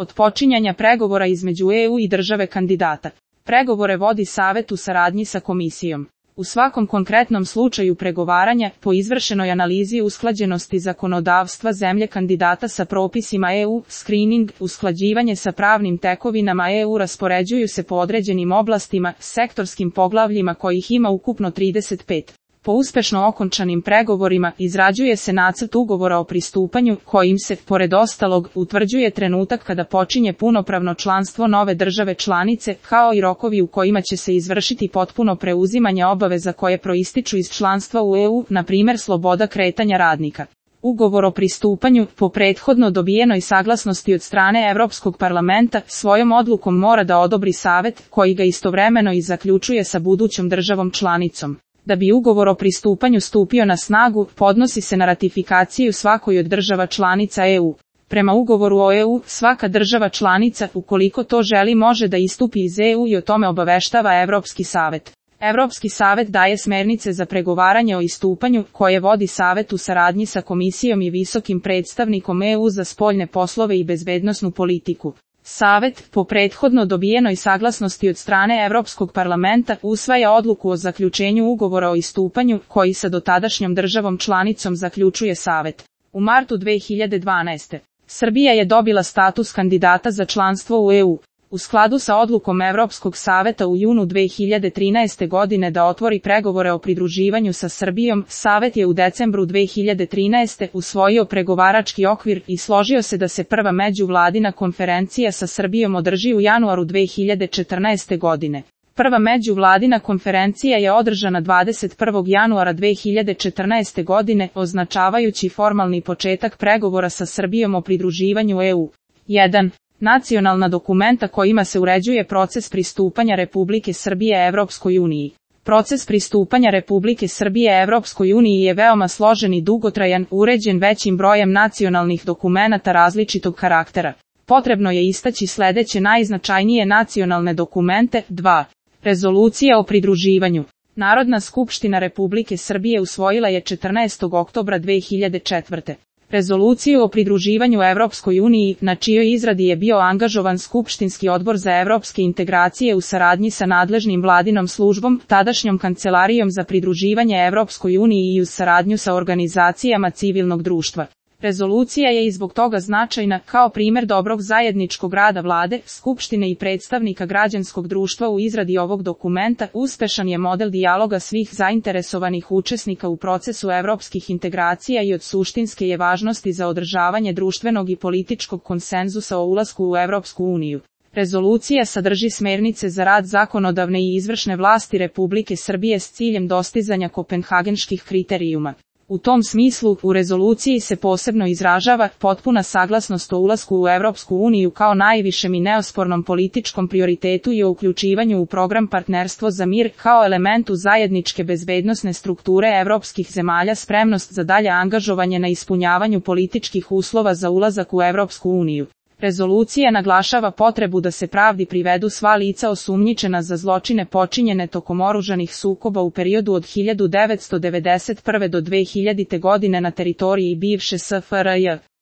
od počinjanja pregovora između EU i države kandidata. Pregovore vodi Savet u saradnji sa Komisijom. U svakom konkretnom slučaju pregovaranja, po izvršenoj analizi usklađenosti zakonodavstva zemlje kandidata sa propisima EU, screening, usklađivanje sa pravnim tekovinama EU raspoređuju se po određenim oblastima, sektorskim poglavljima kojih ima ukupno 35. Po uspešno okončanim pregovorima, izrađuje se nacrt ugovora o pristupanju, kojim se, pored ostalog, utvrđuje trenutak kada počinje punopravno članstvo nove države članice, kao i rokovi u kojima će se izvršiti potpuno preuzimanje obaveza koje proističu iz članstva u EU, na primjer sloboda kretanja radnika. Ugovor o pristupanju, po prethodno dobijenoj saglasnosti od strane Europskog parlamenta, svojom odlukom mora da odobri Savet, koji ga istovremeno i zaključuje sa budućom državom članicom. Da bi ugovor o pristupanju stupio na snagu, podnosi se na ratifikaciju svakoj od država članica EU. Prema ugovoru o EU, svaka država članica, ukoliko to želi, može da istupi iz EU i o tome obaveštava Evropski savet. Evropski savet daje smernice za pregovaranje o istupanju, koje vodi Savet u saradnji sa Komisijom i visokim predstavnikom EU za spoljne poslove i bezbednosnu politiku. Savet, po prethodno dobijenoj saglasnosti od strane Europskog parlamenta, usvaja odluku o zaključenju ugovora o istupanju, koji sa dotadašnjom državom članicom zaključuje Savet. U martu 2012. Srbija je dobila status kandidata za članstvo u EU. U skladu sa odlukom Evropskog saveta u junu 2013. godine da otvori pregovore o pridruživanju sa Srbijom, Savet je u decembru 2013. usvojio pregovarački okvir i složio se da se prva međuvladina konferencija sa Srbijom održi u januaru 2014. godine. Prva međuvladina konferencija je održana 21. januara 2014. godine, označavajući formalni početak pregovora sa Srbijom o pridruživanju EU. 1. Nacionalna dokumenta kojima se uređuje proces pristupanja Republike Srbije Evropskoj uniji. Proces pristupanja Republike Srbije Evropskoj uniji je veoma složen i dugotrajan, uređen većim brojem nacionalnih dokumenata različitog karaktera. Potrebno je istaći sledeće najznačajnije nacionalne dokumente. 2. Rezolucija o pridruživanju. Narodna skupština Republike Srbije usvojila je 14. oktobra 2004. Rezoluciju o pridruživanju Evropskoj uniji, na čijoj izradi je bio angažovan Skupštinski odbor za evropske integracije u saradnji sa nadležnim vladinom službom, tadašnjom Kancelarijom za pridruživanje Evropskoj uniji i u saradnju sa organizacijama civilnog društva. Rezolucija je i zbog toga značajna, kao primjer dobrog zajedničkog rada vlade, skupštine i predstavnika građanskog društva u izradi ovog dokumenta. Uspešan je model dijaloga svih zainteresovanih učesnika u procesu evropskih integracija i od suštinske je važnosti za održavanje društvenog i političkog konsenzusa o ulasku u Evropsku uniju. Rezolucija sadrži smernice za rad zakonodavne i izvršne vlasti Republike Srbije s ciljem dostizanja kopenhagenških kriterijuma. U tom smislu, u rezoluciji se posebno izražava potpuna saglasnost o ulasku u Evropsku uniju kao najvišem i neospornom političkom prioritetu i o uključivanju u program Partnerstvo za mir kao elementu zajedničke bezbednosne strukture evropskih zemalja, spremnost za dalje angažovanje na ispunjavanju političkih uslova za ulazak u Evropsku uniju. Rezolucija naglašava potrebu da se pravdi privedu sva lica osumnjičena za zločine počinjene tokom oružanih sukoba u periodu od 1991. do 2000. godine na teritoriji bivše SFRJ.